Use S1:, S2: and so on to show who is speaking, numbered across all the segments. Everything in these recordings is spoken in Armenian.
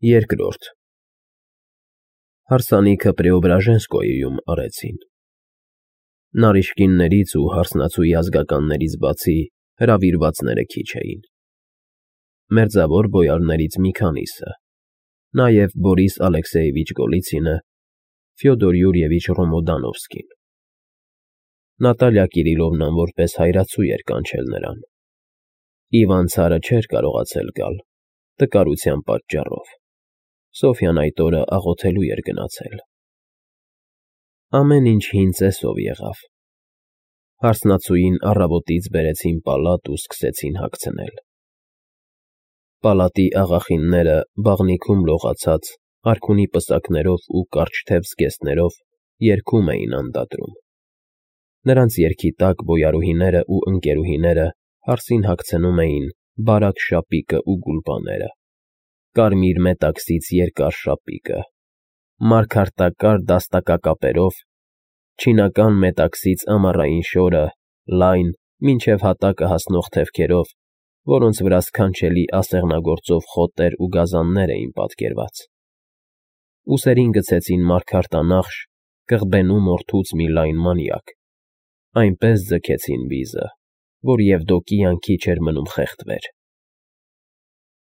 S1: Երկրորդ Հարսանիքը Պրեոբրաժենսկոյում արեցին։ Նարիշկիններից ու հարսնացուի ազգականներից բացի հրավիրվածները քիչ էին։ Մերձավոր բոյարներից մի քանիսը, նաև Բորիս Ալեքսեևիչ Գոլիցինը, Ֆյոդոր Յուրիևիչ Ռոմոդանովսկին։ Նատալիա Կիրիլովնան որպես հայրացու էր կանչել նրան։ Իվան ցարը չէր կարողացել գալ, տկարության պատճառով։ Սոֆյան այդ օրը աղոթելու էր գնացել։ Ամեն ինչ հին ծեսով եղավ։ Հարսնացուին առավոտից բերեցին պալատ ու սկսեցին հագցնել։ Պալատի աղախինները բաղնիքում լողացած, արքունի պսակներով ու կարճ թև զգեստներով երգում էին անդադրում։ Նրանց երգի տակ բոյարուհիները ու ընկերուհիները հարսին հագցնում էին բարակ շապիկը ու գուլպաները, կարմիր մետաքսից երկար շապիկը, մարգարտակար դաստակակապերով, չինական մետաքսից ամառային շորը, լայն, մինչև հատակը հասնող թևքերով, որոնց վրա սքանչելի ասեղնագործով խոտեր ու գազաններ էին պատկերված։ Ուսերին գցեցին մարգարտանախշ, կղբենու մորթուց մի լայն մանյակ, այնպես ձգեցին վիզը, որ Եվդոկիան քիչ էր մնում խեղդվեր։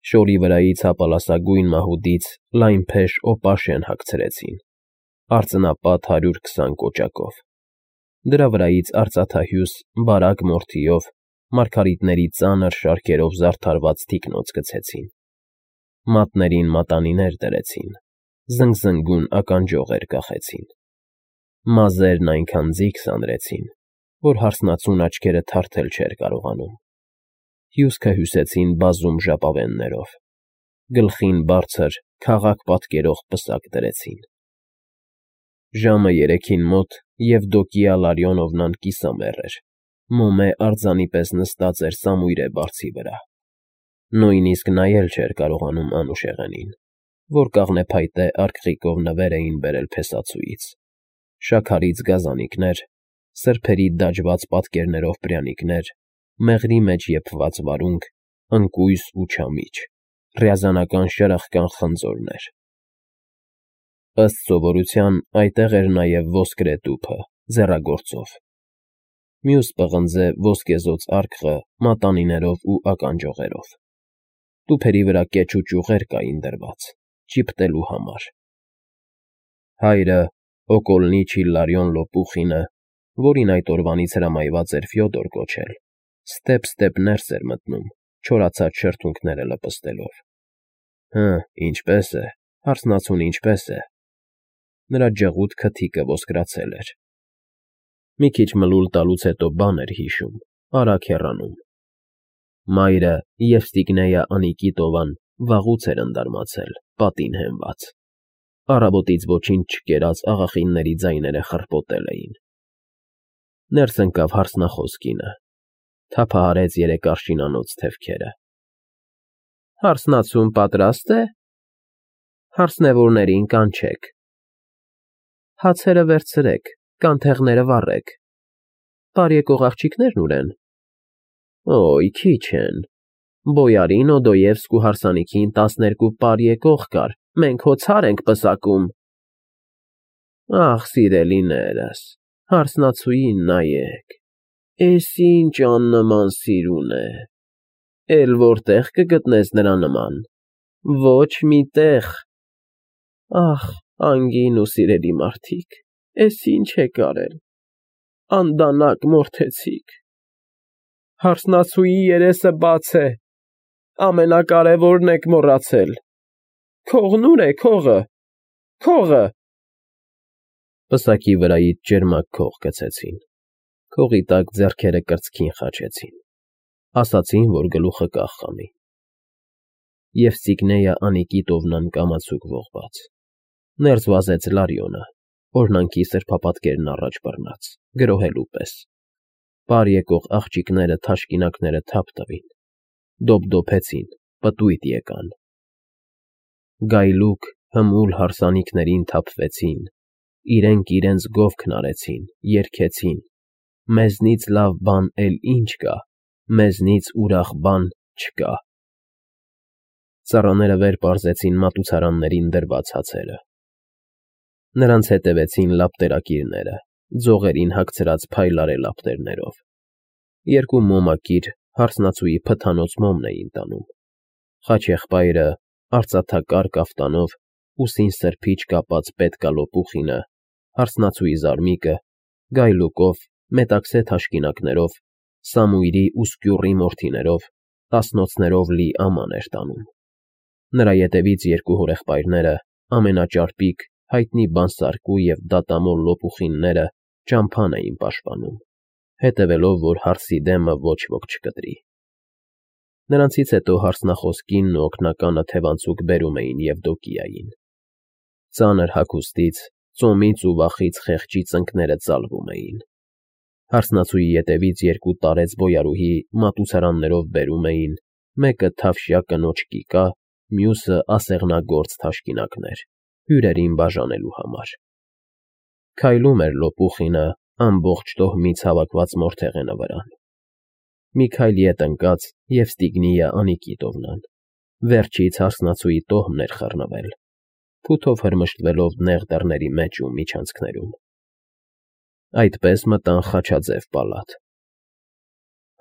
S1: Շորի վրայից հապալասագույն մահուդից լայն փեշ օպաշեն հագցրեցին, արծնապատ 120 կոճակով։ Դրա վրայից արծաթահյուս բարակ մորթիով, մարգարիտների ծանր շարքերով զարդարված թիկնոց գցեցին։ Մատներին մատանիներ դրեցին, զնգզնգուն ականջողեր կախեցին։ Մազերն այնքան ձիգ սանրեցին, որ հարսնացուն աչքերը թարթել չէր կարողանում։ Հյուսքը հյուսեցին բազում ժապավեններով, գլխին բարձր, քաղաք պատկերող պսակ դրեցին։ Ժամը 3-ին մոտ Եվդոկիա Լարիոնովնան կիսամեռ էր, մոմե արձանի պես նստած էր սամույրե բարձի վրա։ Նույնիսկ նայել չէր կարողանում Անուշեղենին, որ կաղնեփայտե արկղիկով նվեր էին բերել փեսացուից, շաքարից գազանիկներ, սրբերի դաջված պատկերներով пряникներ, մեղրի մեջ եփված վարունգ, ընկույզ ու չամիչ, ռյազանական շրխկան խնձորներ։ Ըստ սովորության այդտեղ էր նաև ոսկրե տուփը, ձեռագործով։ Մյուս պղնձե ոսկեզօծ արկղը մատանիներով ու ականջողերով։ Տուփերի վրա կեչ ու ճյուղեր կային դրված, ճիպտելու համար։ Հայրը, Օկոլնիչ Իլարիոն Լոպուխինը, որին այդ օրվանից հրամայված էր Ֆյոդոր կոչել, ստեպ ներս էր մտնում, չորացած շրթունքները լպստելով։ Ինչպես է, հարսնացուն ինչպես է։ Նրա ջղուդ քթիկը ոսկրացել էր։ Մի քիչ մլուլ տալուց հետո բան էր հիշում, արագ հեռանում։ Մայրը Եվստիգնեյա Անիկիտովան վաղուց էր ընդարմացել, պատին հենված։ Առավոտից ոչինչ չկերած աղախինների ձայները խռպոտել էին։ Ներս ընկավ հարսնախոս կինը, թափահարեց երեկարշինանոց թևքերը։ Հարսնացուն պատրաստ է։ Հարսնևորներին կանչեք։ Հացերը վերցրեք, կանթեղները վառեք։ Բարեկող աղջիկներն ուր են։ Օй, քիչ են։ Բոյարին Օդոևսկու հարսանիքին 12 բարեկող կար, մենք հո ցար ենք պսակում։ Ախ, սիրելիներս, հարսնացուին նայեք, էս ինչ աննման սիրուն է, էլ որտեղ կգտնես նրա նման, ոչ մի տեղ։ Ախ, անգին ու սիրելի մարդիկ, էս ինչ եք արել, անդանակ մորթեցիք։ Հարսնացուի երեսը բաց է, ամենակարևորն եք մոռացել։ Քողն ուր է, քողը, քողը։ Պսակի վրայից ջերմակ քող գցեցին, քողի տակ ձեռքերը կրծքին խաչեցին, ասացին, որ գլուխը կախ խմի։ Եվստիգնեյա Անիկիտովնան կամացուկ ողբաց, ներս վազեց Լարիոնը, օրհնանքի սրբապատկերն առաջ բռնած, գրոհելու պես։ Պար եկող աղջիկները թաշկինակները թափ տվին, դոփդոփեցին, պտույտ եկան։ Գայլուկ հմուլ հարսանիքներին թափվեցին, իրենք իրենց գովքն արեցին, երգեցին. մեզնից լավ բան էլ ինչ կա, մեզնից ուրախ բան չկա։ Ծառաները վեր պարզեցին մատուցարաններին դրված հացերը։ Նրանց հետևեցին լապտերակիրները, ձողերին հագցրած փայլարե լապտերներով։ Երկու մոմակիր հարսնացուի փթանոց մոմն էին տանում։ Խաչեղբայրը արծաթակար կաֆտանով, ուսին սրբիչ կապած պետկալո պուխինը, հարսնացուի զարմիկը, գայլուկով, մետաքսե թաշկինակներով, Սամույրի ու Սկյուռի մորթիներով, տասնոցներով լի աման էր տանում։ Նրա ետևից երկու հորեղբայրները, ամենաճարպիկ, հայտնի բանսարկու և դատամոլ լոպուխինները ճամփան էին պաշտպանում, հետևելով, որ հարսի դեմը ոչ ոք չկտրի։ Նրանցից հետո հարսնախոս կինն ու օգնականը թևանցուկ բերում էին Եվդոկիային։ Ծանր հագուստից, ծոմից ու վախից խեղճի ծնկները ծալվում էին։ Հարսնացուի ետևից երկու տարեց բոյարուհի մատուցարաններով բերում էին, մեկը թավշյա կնոջ կիկա, մյուսը ասեղնագործ թաշկինակներ, հյուրերին բաժանելու համար։ Քայլում էր լոպուխինը ամբողջ տոհմից հավաքված մորթեղենը վրան։ Մի քայլ ետ ընկած և Ստիգնիյը Անիկի տովնան։ Վերջից հարսնացուի տոհմն էր խռնվել, փութով հրմշտվելով նեղ դռների մեջ ու միջանցքներում։ Այդպես մտան խաչաձև պալատ։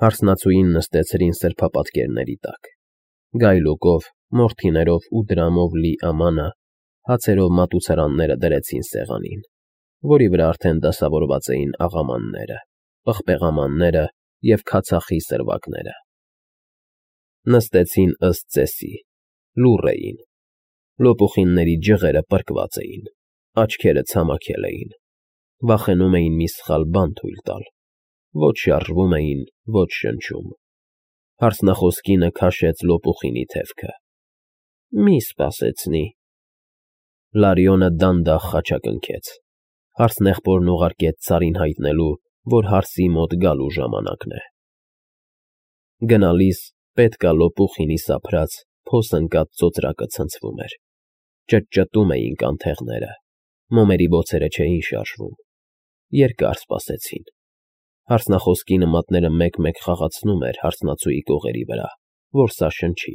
S1: Հարսնացուին նստեցրին սրբապատկերների տակ։ Գայլուկով, մորթիներով ու դրամով լի ամանը հացերով մատուցարանները դրեցին սեղանին, որի վրա արդեն դասավորված էին աղամանները, պղպեղամանները և քացախի սրվակները։ Նստեցին ըստ ծեսի, լուռ էին։ Լոպուխինների ջղերը պրկված էին, աչքերը ցամաքել էին, վախենում էին մի սխալ բան թույլ տալ, ոչ շարժվում էին, ոչ շնչում։ Հարսնախոս կինը քաշեց լոպուխինի թևքը։ Մի սպասեցնի։ Լարիոնը դանդաղ խաչակնքեց։ Հարսնեղբորն ուղարկեց ծառին հայտնելու, որ հարսի մոտ գալու ժամանակն է։ Գնալիս պետք է լոպուխինի սափրած, փոս ընկած ծոծրակը ցնցվում էր։ Ճտճտում էին կանթեղները, մոմերի բոցերը չէին շարժվում։ Երկար սպասեցին։ Հարսնախոս կինը մատները մեկ-մեկ խաղացնում էր հարսնացուի կողերի վրա, որ սա շնչի։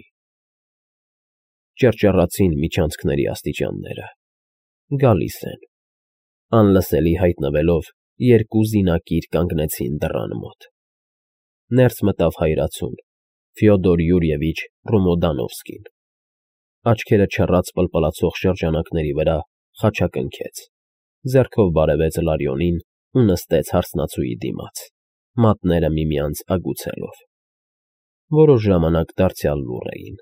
S1: Ճռճռացին միջանցքների աստիճանները։ Գալիս են։ Անլսելի հայտնվելով, երկու զինակիր կանգնեցին դռան մոտ։ Ներս մտավ հայրացուն, Ֆյոդոր Յուրիևիչ Ռոմոդանովսկին։ Աչքերը չռած պլպլացող շրջանակների վրա խաչակնքեց, ձեռքով բարևեց Լարիոնին ու նստեց հարսնացուի դիմաց, մատները միմյանց ագուցելով։ Որոշ ժամանակ դարձյալ լուռ էին։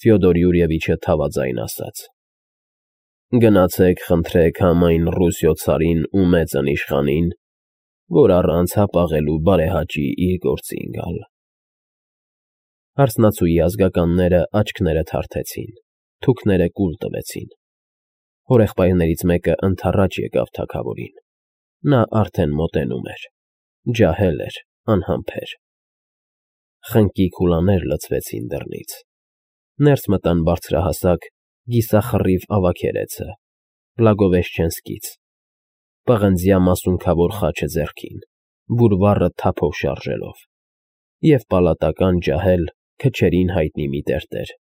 S1: Ֆյոդոր Յուրիևիչը թավաձայն ասաց. Գնացեք խնդրեք համայն Ռուսիո ցարին ու մեծն իշխանին, որ առանց հապաղելու բարեհաճի իր գործին գալ։ Հարսնացուի ազգականները աչքները թարթեցին, թուքները կուլ տվեցին։ Հորեղբայրներից մեկը ընդառաջ եկավ թագավորին։ Նա արդեն մոտենում էր, ջահել էր, անհամբեր։ Խնկի քուլաներ լցվեցին դռնից։ Ներս մտան բարձրահասակ, գիսախռիվ ավագերեցը, Բլագովեշչենսկից, պղնձյա մասունքավոր խաչը ձեռքին, բուրվառը թափով շարժելով, և պալատական ջահել, քչերին հայտնի մի տերտեր։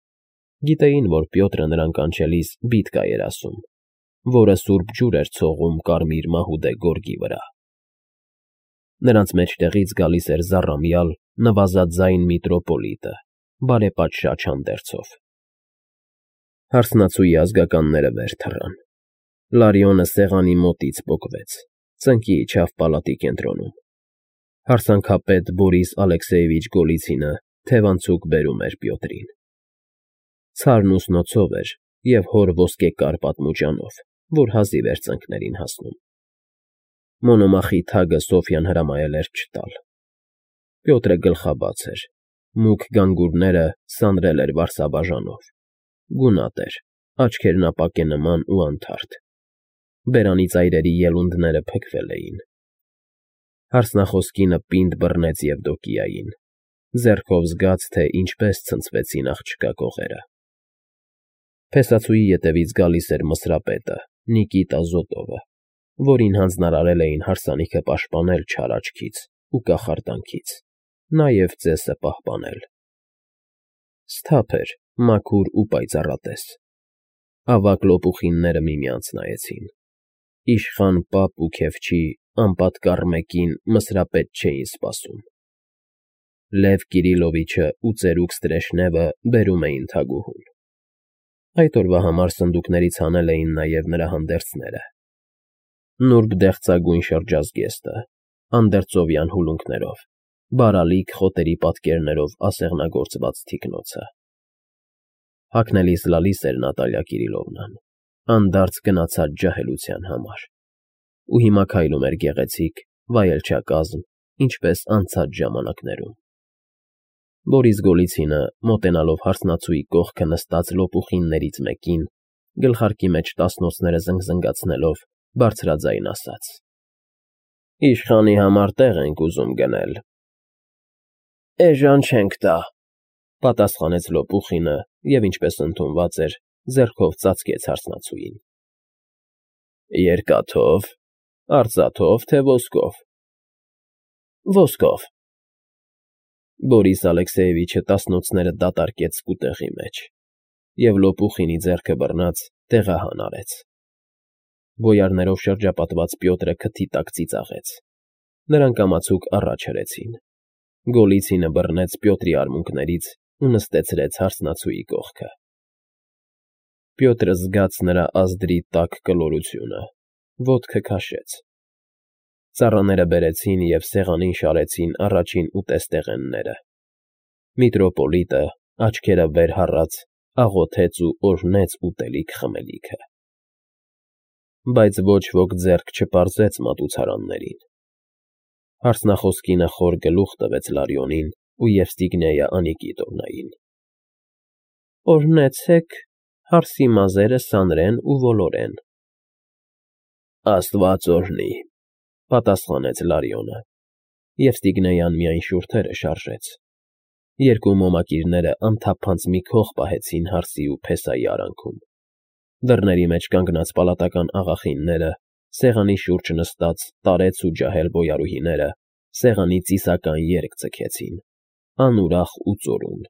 S1: Գիտեին, որ Պյոտրը նրան կանչելիս բիդկա էր ասում, որը սուրբ ջուր էր ցողում կարմիր մահուդե գորգի վրա։ Նրանց մեջտեղից գալիս էր զառամյալ, նվազաձայն միտրոպոլիտը, բարեպատշաճ հանդերձով։ Հարսնացուի ազգականները վեր թռան։ Լարիոնը սեղանի մոտից պոկվեց, ծնկի իջավ պալատի կենտրոնում։ Հարսանքապետ Բորիս Ալեքսեևիչ Գոլիցինը թևանցուկ բերում էր Պյոտրին։ Ցարն ուսնոցով էր և հոր ոսկեկար պատմուճանով, որ հազիվ էր ծնկներին հասնում։ Մոնոմախի թագը Սոֆյան հրամայել էր չտալ։ Պյոտրը գլխաբաց էր, մուգ գանգուրները սանրել էր վարսաբաժանով։ Գունատ էր, աչքերն ապակե նման ու անթարթ։ Բերանի ծայրերի ելունդները փքվել էին։ Հարսնախոս կինը պինդ բռնեց Եվդոկիային, ձեռքով զգաց, թե ինչպես ցնցվեցին աղջկա կողերը։ Փեսացուի ետևից գալիս էր Մսրապետը, Նիկիտա Զոտովը, որին հանձնարարել էին հարսանիքը պաշտպանել չար աչքից ու կախարդանքից, նաև ծեսը պահպանել։ Սթափ էր, մաքուր ու պայծառատես։ Ավագ լոպուխինները միմյանց նայեցին։ Իշխան պապ ու քեֆչի անպատկառ մեկին Մսրապետ չէին սպասում։ Լև Կիրիլովիչը ու ծերուկ Ստրեժնևը բերում էին թագուհուն։ Այդ օրվա համար սնդուկներից հանել էին նաև նրա հանդերձները. նուրբ դեղցագույն շրջազգեստը, անդերձովյան հուլունքներով, բարալիկ խոտերի պատկերներով ասեղնագործված թիկնոցը։ Հագնելիս լալիս էր Նատալիա Կիրիլովնան, անդարձ գնացած ջահելության համար, ու հիմա քայլում էր գեղեցիկ, վայելչակազմ, ինչպես անցած ժամանակներում։ Բորիս Գոլիցինը, մոտենալով հարսնացուի կողքը նստած լոպուխիններից մեկին, գլխարկի մեջ տասնոցները զնգզնգացնելով, բարձրաձայն ասաց. Իշխանի համար տեղ ենք ուզում գնել։ Էժան չենք տա, պատասխանեց լոպուխինը և, ինչպես ընդունված էր, ձեռքով ծածկեց հարսնացուին։ Երկաթո՞վ, արծաթո՞վ, թե ոսկով։ Ոսկով։ Բորիս Ալեքսեևիչը տասնոցները դատարկեց սկուտեղի մեջ և լոպուխինի ձեռքը բռնած տեղահան արեց։ Բոյարներով շրջապատված Պյոտրը քթի տակ ծիծաղեց։ Նրանք կամացուկ առաջ հրեցին։ Գոլիցինը բռնեց Պյոտրի արմունկներից ու նստեցրեց հարսնացուի կողքը։ Պյոտրը զգաց նրա ազդրի տաք կլորությունը, ոտքը քաշեց։ Ծառաները բերեցին և սեղանին շարեցին առաջին ուտեստեղենները։ Միտրոպոլիտը, աչքերը վեր հառած, աղոթեց ու օրհնեց ուտելիք խմելիքը։ Բայց ոչ ոք ձեռք չպարզեց մատուցարաններին։ Հարսնախոս կինը խոր գլուխ տվեց Լարյոնին ու Եվստիգնեյը Անիկիտովնային։ Օրհնեցեք, հարսի մազերը սանրեն ու ոլորեն։ Աստված օրհնի, պատասխանեց Լարյոնը։ Եվստիգնեյան միայն շուրթերը շարժեց։ Երկու մոմակիրները անթափանց մի քող պահեցին հարսի ու փեսայի արանքում։ Դռների մեջ կանգնած պալատական աղախինները, սեղանի շուրջ նստած տարեց ու ջահել բոյարուհիները սեղանի ծիսական երգ ձգեցին, անուրախ ու ծորուն։